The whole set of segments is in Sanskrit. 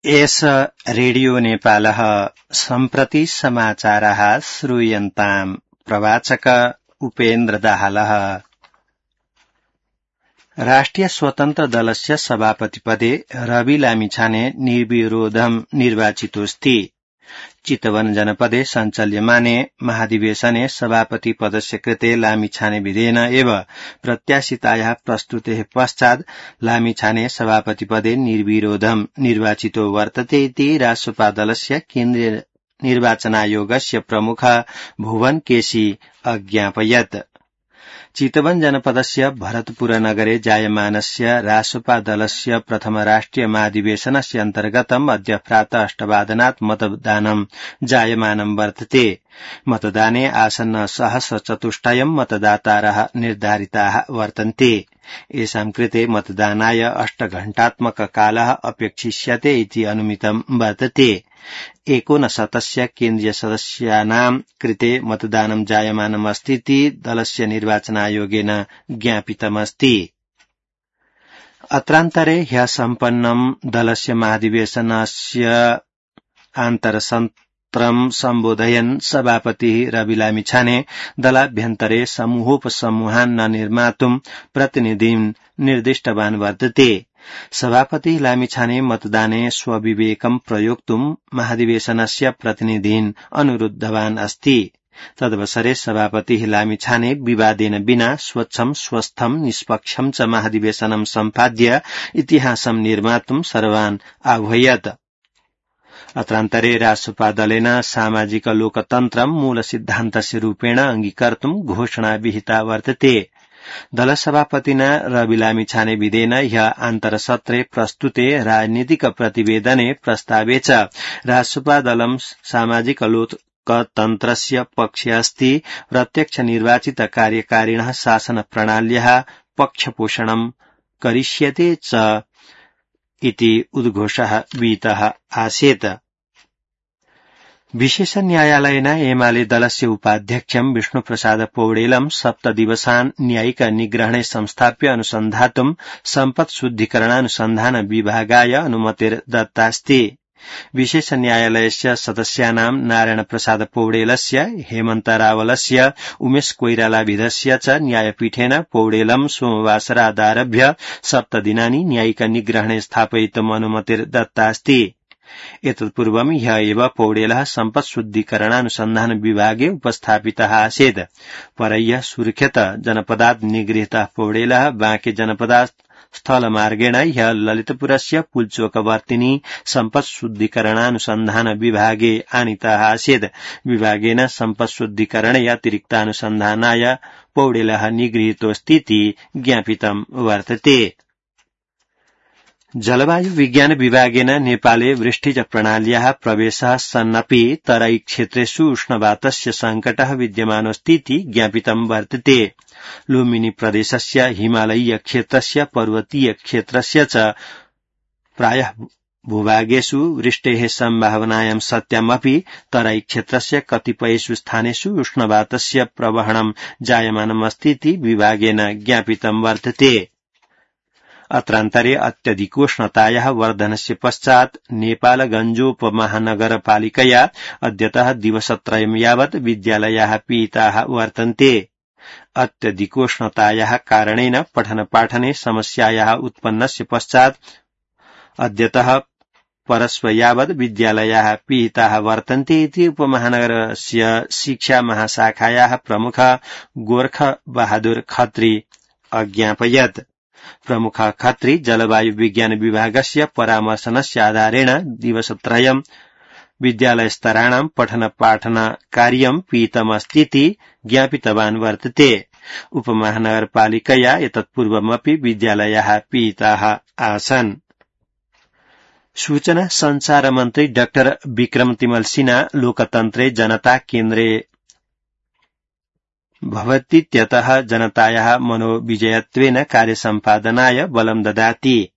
एष रेडियो नेपालः सम्प्रति समाचारः श्रूयन्ताम्। प्रवाचक उपेन्द्र दाहालः। राष्ट्रिय स्वतन्त्र दलस्य सभापतिपदे रवि लामिछाने निर्विरोधं निर्वाचितोऽस्ति। चितवन जनपदे सञ्चाल्यमाने महाधिवेशने सभापति पदस्य कृते लामिछाने विधेन एव प्रत्याशितायाः प्रस्तुतेः पश्चात् लामिछाने सभापतिपदे निर्विरोधं निर्वाचितो वर्तते इति रासपा दलस्य केन्द्रीय निर्वाचनायोगस्य प्रमुख भुवन केसी अज्ञापयत्। चितवन जनपदस्य भरतपुर नगरे जायमानस्य रासपा दलस्य प्रथम राष्ट्रिय महाधिवेशनस्य अन्तर्गतम् अद्य प्रातः 8:00 मतदानं जायमानं वर्तते। मतदाने आसन्न सहस्रचतुष्टयं मतदातारः निर्धारिताः वर्तन्ते। येषां कृते मतदानाय 8 घण्टात्मक कालः अपेक्षिष्यते इति अनुमितं वर्तते। 59 केन्द्रीय सदस्यानां कृते मतदानं जायमानमस्ति इति दलस्य निर्वाचनायोगेन ज्ञापितमस्ति। अत्रान्तरे ह्यः सम्पन्नं दलस्य महाधिवेशनस्य आन्तरसत्रं सम्बोधयन् सभापतिः रवि लामिछाने दलाभ्यन्तरे समूहोपसमूहान् न निर्मातुं प्रतिनिधिं निर्दिष्टवान् वर्तते। सभापति लामिछाने मतदाने स्वविवेकं प्रयोक्तुं महाधिवेशनस्य प्रतिनिधीन् अनुरुद्धवान् अस्ति। तदवसरे सभापतिः लामिछाने विवादेन विना स्वच्छं स्वस्थं निष्पक्षं च महाधिवेशनं सम्पाद्य इतिहासं निर्मातुं सर्वान् आह्वयत्। अत्रान्तरे रासपा दलेन सामाजिक लोकतन्त्रं मूलसिद्धान्तस्य रूपेण अंगीकर्तुं घोषणा विहिता वर्तते। दलसभापतिना रवि लामिछाने विधेन ह्यः आन्तरसत्रे प्रस्तुते राजनीतिक प्रतिवेदने प्रस्तावे च रासपा दलं सामाजिक लोकतन्त्रस्य पक्षे अस्ति। प्रत्यक्ष निर्वाचित कार्यकारिणः शासन प्रणाल्याः पक्षपोषणं करिष्यते च इति उद्घोषः विहितः आसीत्। विशेष न्यायालयेन एमाले दलस्य उपाध्यक्षं विष्णुप्रसाद पौडेलं 7 दिवसान् न्यायिक निग्रहणे संस्थाप्य अनुसन्धातुं सम्पत् शुद्धिकरणानुसन्धान विभागाय अनुमतिर्दत्तास्ति। विशेष न्यायालयस्य सदस्यानां नारायण प्रसाद पौडेलस्य, हेमन्त रावलस्य, उमेश कोइरालाभिधस्य च न्यायपीठेन पौडेलं सोमवासरादारभ्य 7 दिनानि न्यायिक निग्रहणे स्थापयितुम् अनुमतिर्दत्तास्ति। एतत्पूर्वं ह्यः एव पौडेलः सम्पत् शुद्धिकरणानुसन्धान विभागे उपस्थापितः आसीत्। परह्यः सुर्खेत जनपदात् निगृहीतः पौडेलः बाँके जनपदात् स्थलमार्गेण ह्यः ललितपुरस्य पुल्चोकवर्तिनी सम्पत् शुद्धिकरणानुसन्धान विभागे आनीतः आसीत्। विभागेन सम्पत् शुद्धिकरणे अतिरिक्तानुसन्धानाय पौडेलः निगृहीतोऽस्तीति ज्ञापितं वर्तते। जलवायु विज्ञान विभागेन नेपाले वृष्टिज प्रणाल्याः प्रवेशः सन्नपि तराई क्षेत्रेषु उष्णवातस्य सङ्कटः विद्यमानोऽस्तीति ज्ञापितं वर्तते। लुम्बिनी प्रदेशस्य हिमालयीय क्षेत्रस्य पर्वतीय क्षेत्रस्य च प्रायः भूभागेषु वृष्टेः सम्भावनायां सत्यामपि तराई क्षेत्रस्य कतिपयेषु स्थानेषु उष्णवातस्य प्रवहणं जायमानमस्तीति विभागेन ज्ञापितं वर्तते। अत्रान्तरे अत्यधिकोष्णतायाः वर्धनस्य पश्चात् नेपालगञ्जोपमहानगरपालिकया अद्यतः दिवसत्रयं यावत् विद्यालयाः पिहिताः वर्तन्ते। अत्यधिकोष्णतायाः कारणेन पठनपाठने समस्यायाः उत्पन्नस्य पश्चात् अद्यतः परश्व यावत् विद्यालयाः पिहिताः वर्तन्ते इति उपमहानगरस्य शिक्षा महाशाखायाः प्रमुख गोर्ख बहादुर खत्री अज्ञापयत्। प्रमुख खत्री जलवायु विज्ञान विभागस्य परामर्शनस्य आधारेण दिवसत्रयं विद्यालयस्तराणां पठनपाठन कार्यं पिहितमस्तीति ज्ञापितवान् वर्तते। उपमहानगरपालिकया एतत्पूर्वमपि विद्यालयाः पिहिताः आसन्। सूचना संचार मन्त्री डाक्टर विक्रम तिमल सिन्हा लोकतन्त्रे जनता केन्द्रे भवतीत्यतः जनतायाः मनोविजयत्वेन कार्यसम्पादनाय बलं ददाति।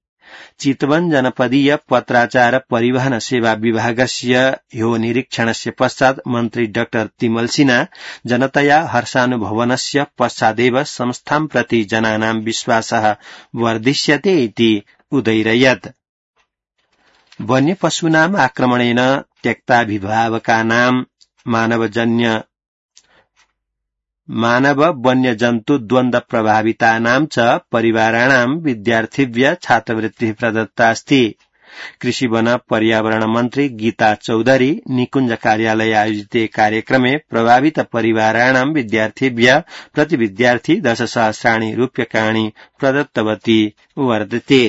चितवन जनपदीय पत्राचार परिवहन सेवा विभागस्य ह्यो निरीक्षणस्य पश्चात् मन्त्री डाक्टर तिमल सिन्हा जनतया हर्षानुभवनस्य पश्चादेव संस्थां प्रति जनानां विश्वासः वर्धिष्यते इति उदैरयत्। वन्य पशूनाम् आक्रमणेन त्यक्ताभिभावकानाम् मानव वन्यजन्तु द्वन्द्व प्रभावितानां च परिवाराणां विद्यार्थिभ्य छात्रवृत्तिः प्रदत्ता अस्ति। कृषि वन पर्यावरण मन्त्री गीता चौधरी निकुञ्ज कार्यालये आयोजिते कार्यक्रमे प्रभावित परिवाराणां विद्यार्थिभ्य प्रति विद्यार्थी 10,000 रूप्यकाणि प्रदत्तवती वर्तते।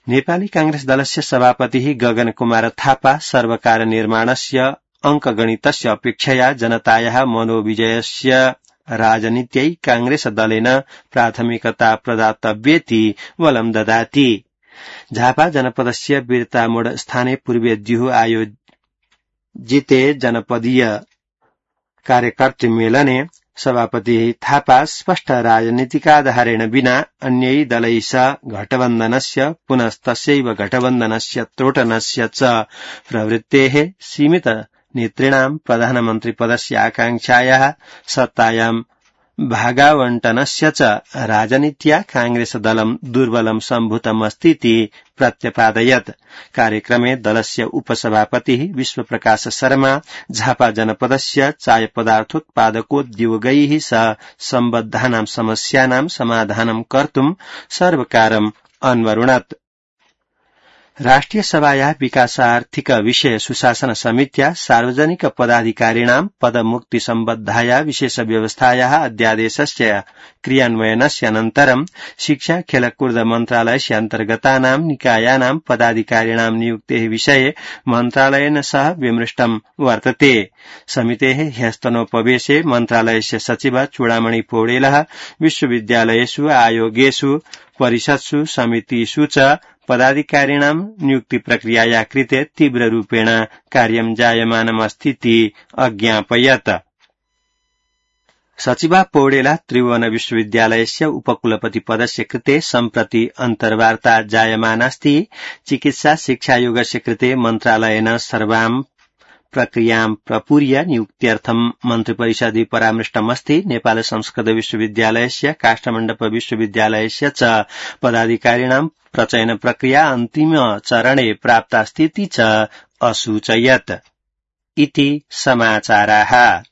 नेपाली कांग्रेस दलस्य सभापतिः गगन कुमार थापा सर्वकार निर्माणस्य अंकगणितस्य अपेक्षया जनतायाः मनोविजयस्य राजनीत्यै कांग्रेस दलेन प्राथमिकता प्रदातव्येति बलं ददाति। झापा जनपदस्य बिरतामोड स्थाने पूर्वेद्युः आयोजिते जनपदीय कार्यकर्तृ मेलने सभापति थापा स्पष्ट राजनीतिकाधारेण विना अन्यै दलैः सह घटबन्धनस्य पुनस्तस्यैव घटबन्धनस्य त्रोटनस्य च प्रवृत्तेः सीमित नेतॄणां प्रधानमन्त्रिपदस्य आकांक्षायाः सत्तायां भागावण्टनस्य च राजनीत्या कांग्रेस दलं दुर्बलं सम्भूतमस्तीति प्रत्यपादयत्। कार्यक्रमे दलस्य उपसभापतिः विश्वप्रकाश शर्मा झापा जनपदस्य चाय पदार्थोत्पादकोद्योगैः सह सम्बद्धानां समस्यानां समाधानं कर्तुं सर्वकारम् अन्वरुणत्। राष्ट्रिय सभायाः विकासार्थिक विषय सुशासन समित्या सार्वजनिक पदाधिकारिणां पदमुक्ति सम्बद्धाया विशेष व्यवस्थायाः अध्यादेशस्य क्रियान्वयनस्य अनन्तरं शिक्षा खेलकूद मन्त्रालयस्य अन्तर्गतानां निकायानां पदाधिकारिणां नियुक्तेः विषये मन्त्रालयेन सह विमृष्टं वर्तते। समितेः ह्यस्तनोपवेशे मन्त्रालयस्य सचिव चूडामणि पौडेलः विश्वविद्यालयेषु आयोगेषु परिषत्सु समितिषु च पदाधिकारिणां नियुक्ति प्रक्रियाया कृते तीव्ररूपेण कार्यं जायमानमस्तीति अज्ञापयत्। सचिवा पौडेला त्रिभुवन विश्वविद्यालयस्य उपकुलपति पदस्य कृते सम्प्रति अन्तर्वार्ता जायमानास्ति। चिकित्सा शिक्षायोगस्य कृते मन्त्रालयेन सर्वां प्रक्रियां प्रपूर्य नियुक्त्यर्थं मन्त्रिपरिषदि परामृष्टमस्ति। नेपाल संस्कृत विश्वविद्यालयस्य काष्ठमण्डप विश्वविद्यालयस्य च पदाधिकारिणां प्रचयन प्रक्रिया अन्तिम चरणे प्राप्तास्तीति च असूचयत्। इति समाचाराः।